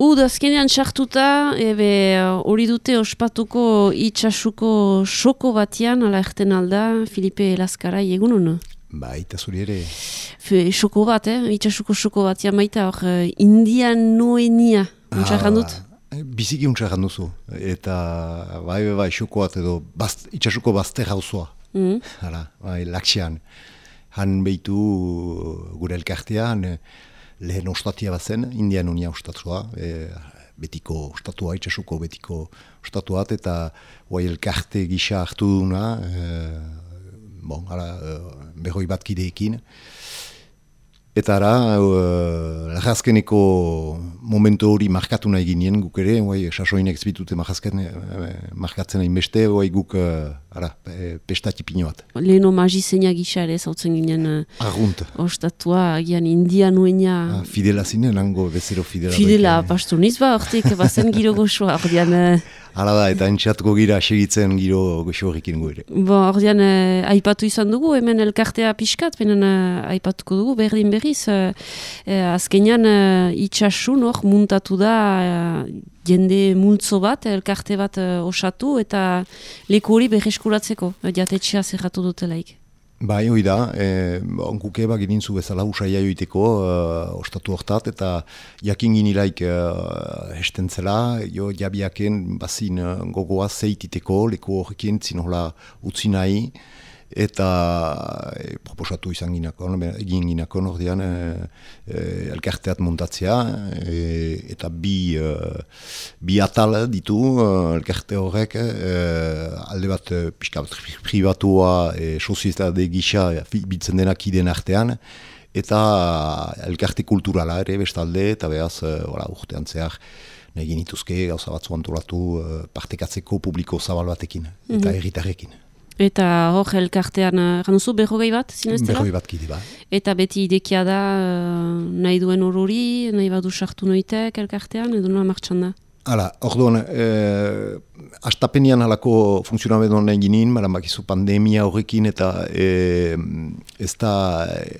Azkenean sartuta, hori dute ospatuko itxasuko soko batian, ala erten alda, Filipe Laskarai egun hona? Ba, eta zuri ere. Soko bat, itxasuko soko batian baita, hor, Indian Noenia, untxarran dut? Biziki untxarran duzu, eta bai, soko bat edo itxasuko bazter hauzoa. Hala, bai, Laksian. Han behitu gure elkartean, lehen ostatia bat zen, Indian Noenia ostatua, betiko ostatua, itxasuko betiko ostatua, eta guai elkarte gisa hartu duna, berroi bat kideekin. Eta lagazkeneko momentu hori markatu nahi ginen guk ere, sasoinek zbitute markatzen nahi beste, guk pestatipino bat. Leheno magizenia gisa ere zautzen ginen ostatua, agian Indian Noenia. Fidela zinen, nango bezero Fidela. Fidela, pastu niz ba, ortik, bazen giro goxoa, ordean. Hala da, eta entxatuko gira segitzen giro goxo horrekin goire. Ordean, aipatu izan dugu, hemen elkartea pixkat, benen aipatuko dugu, berdin berriz, azkenean itxasun hor muntatu da jende multzo bat, elkarte bat osatu, eta leku hori berreskuratzeko, jatetxea zerratu dutelaik. Bai, hoi da, onkuke ginintzu bezala usaia joiteko ostatu hortat, eta jakin ginilaik hestentzela, jabiaken bazin gogoa zeititeko, leku horrekin zinola utzi nahi, eta proposatu izan egin ginakon ordean elkarteat montatzea, eta bi atal ditu elkarte horrek, alde bat pixka pribatua, sozietate gisa biltzen denak ideen artean, eta elkarte kulturala ere bestalde, eta behaz urtean zehar nahi genituzke gauza batzu antolatu partekatzeko publiko zabal batekin, eta herritarrekin. Eta hor elkartean, ganuzu, berrogei bat, zineztela? Berrogei bat kide, ba. Eta beti idekia da nahi duen horori, nahi badu sartu noitek elkartean, edo nola martxan da? Hala, orduan, astapenian halako funtzionamenduan nahi ginen, bakizu pandemia horrekin, eta ez da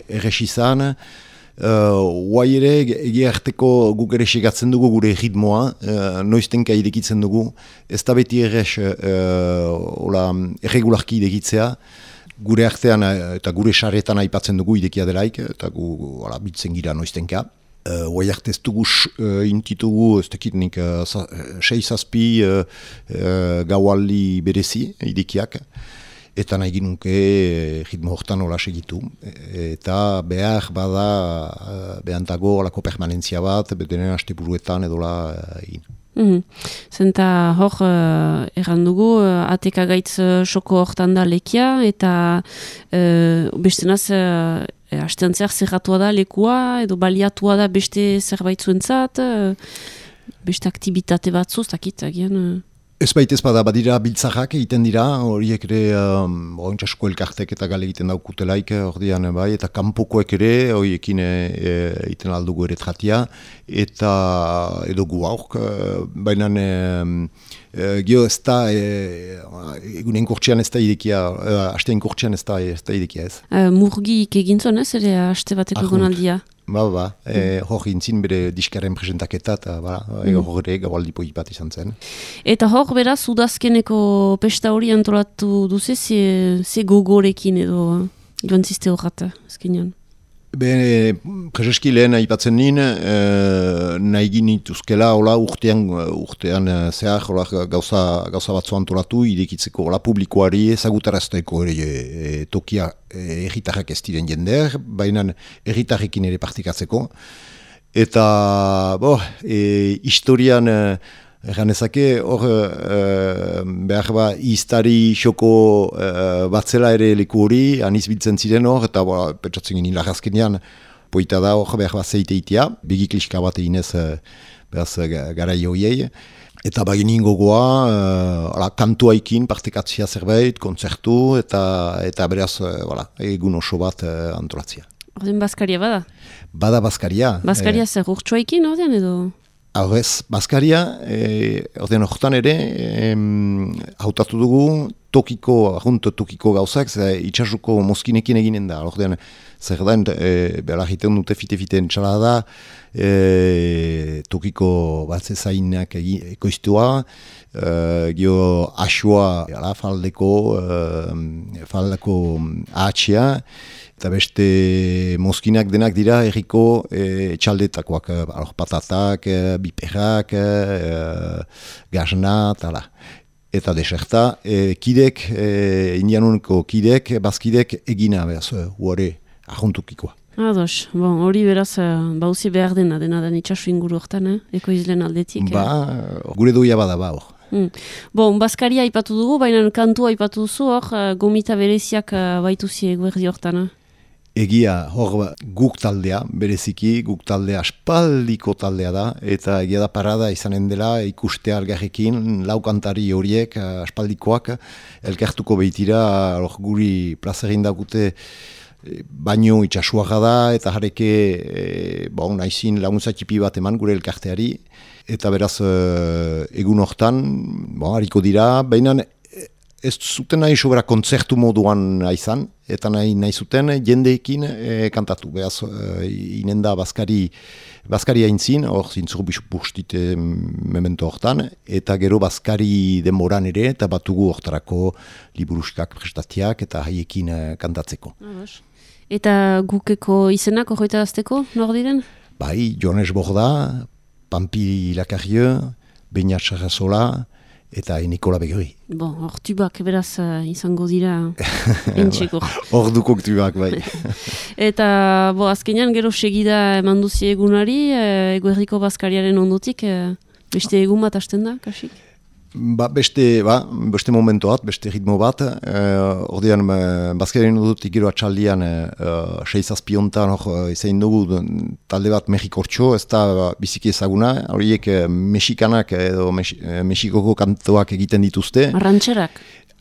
errez izan. Guai ere, egia harteko guk ere segatzen dugu gure ritmoa, noiztenka irekitzen dugu, ez da beti errez erregularki irekitzea, gure artean eta gure saretan aipatzen dugu irekia delaik, eta gu bitzen gira noiztenka. Guai arte ez dugu intitugu, ez tekitnik 6-7 gaualdi berezi irekiak, eta nahi ginunke ritmo hortan hola segitu. Eta behar bada behantago olako permanentzia bat, bedenen hasteburuetan edola egin. Zenta hor, erran dugu, ateka gaitz soko hortan da lekia, eta bestenaz hasteantzeak zerratua da lekua, edo baliatua da beste zerbait zuentzat, beste aktibitate batzu, zakit, agian... Ez baita ez bada, badira biltzarrak egiten dira, horiek ere ontsasko elkartek eta gale egiten daukutelaik, ordean bai, eta kanpokoek ere, horiekin egiten aldugu ere tratia, eta edo gu aurk, baina gio ez da, egunen kurtsean ez da idekia, hastean kurtsean ez da idekia ez. Murgik egintzon ez, ere haste bateko gonaldia? Hor gintzin bere diskaren presentaketa, eta hor ere gaualdi poi bat izan zen. Eta hor beraz, udazkeneko pesta hori antolatu duze, ze gogorekin edo joan ziste horrat, ezkenean? Prezeski lehen aipatzen nien, nahi ginituzkela urtean zehar gauza batzu antolatu, irekitzeko publikoari ezagutarazteko tokia erritarrak ez diren jender, baina erritarrekin ere partikatzeko. Eta historian erganezake hor behar iztari xoko batzela ere leku hori, aniz biltzen ziren hor, eta petsatzen ginen lagazkenean, poita da hor behar zeiteitea, begikliska bat eginez garai horiei. Eta baginin gogoa, kantuaikin partekatzea zerbait, kontzertu, eta beraz egun oso bat antolatzea. Ordean Baskaria bada? Bada Baskaria. Baskaria zer urtsuaikin ordean edo? Horrez, Baskaria, ordean horretan ere, hautatu dugu tokiko gauzak, itxasuko mozkinekin eginen da. Ordean, zer da, behar egiten dute fite-fite entxalada, tokiko batzezainak ekoiztua, gio asua faldeko ahatxea, eta beste mozkinak denak dira erriko txaldetakoak, patatak, biperrak, gazna, tala. Eta deserta, kidek, indianuneko kidek, bazkidek egina behaz, huare ahontukikoa. Ados, hori beraz, bauzi behar dena den itxasu inguru hortan, ekoizlen aldetik. Gure doia bada hor. Baskaria aipatu dugu, baina kantua aipatu duzu hor, gomita bereziak baituzi eguerdi hortan. Egia, hor guk taldea, bereziki, guk taldea aspaldiko taldea da, eta egia da parada izanen dela ikustea algarrekin, lau kantari horiek aspaldikoak, elkartuko behitira, guri plazerin dakute baino itxasuaga da, eta jareke naizin laguntza txipi bat eman gure elkarteari, eta beraz egun hortan, hariko dira, baina ez zuten nahi sobera kontzertu moduan izan, eta nahi zuten jendeekin kantatu. Beaz, inen da Baskari haintzin, hor zintzuru bustite memento hortan, eta gero Baskari denboran ere, eta batugu hortarako liburuskak prestatiak, eta haiekin kantatzeko. Eta gukeko izenak horreta azteko, nor diren? Bai, Jones Borda, Pampi Lacarrieu, Beñat Sarrazola, eta Nikola Begri. Hor tubak beraz izango dira entxeko. Hor dukok tubak, bai. Eta azkenean gero segida eman duzi egunari, eguerdiko Baskariaren ondotik, beste egun bat hasten da, kasik? Beste momento bat, beste ritmo bat. Ordean, Baskariaren ondotik gero atxaldian 6-7 hontan izain dugu talde bat Mexikortxo, ez da biziki ezaguna, horiek mexikanak edo Mexikoko kantoak egiten dituzte.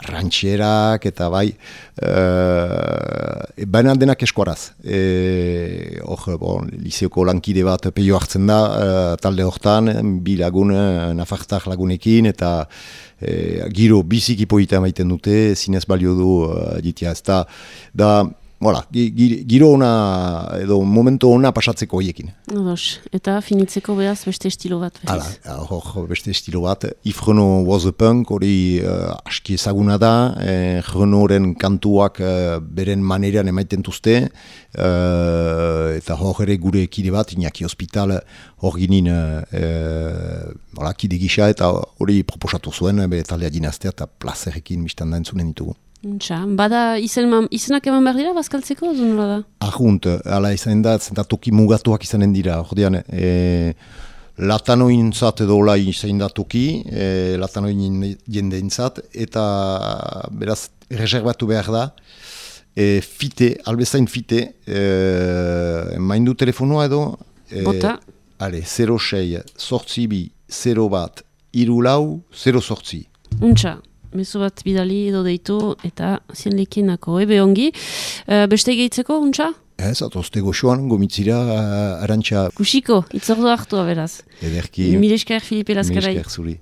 Rantxerak eta bai, baina denak eskuaraz. Liseoko lankide bat peio hartzen da, talde hortan, bi lagun, nafartak lagunekin, eta giro biziki poita maiten dute, zinez balio du ditia. Ez da, giro ona, edo momento ona pasatzeko horiekin. Eta finitzeko behaz beste estilo bat. Beste estilo bat. Yves Renaud was a punk, hori aski ezaguna da, Renauden kantuak beren maneran emaiten duzte, eta hor ere gure kide bat, Iñaki Hospital, hor ginen kide gisa, eta hori proposatu zuen, bere taldea dinaztea, eta plazerekin biztan da entzunen ditugu. Bada izenak eman behar dira, bazkaltzeko, zunura da? Ahunt, ala izanen da, toki mugatuak izanen dira, ordean, latanoin zat edo hola izanen da toki, latanoin jendeintzat, eta beraz, reservatu behar da, albezain fite, maindu telefonoa edo, Bota. 06, 02, 01, 34, 08. Mezu bat bidali edo deitu eta zienlekinako ongi. Beste gehitzeko, untxa? Ez, atozte goxoan, gomitzira, arantxa. Kusiko, itzordu hartua beraz. Ederki. Milesker Filipe Laskarai. Milesker zuri.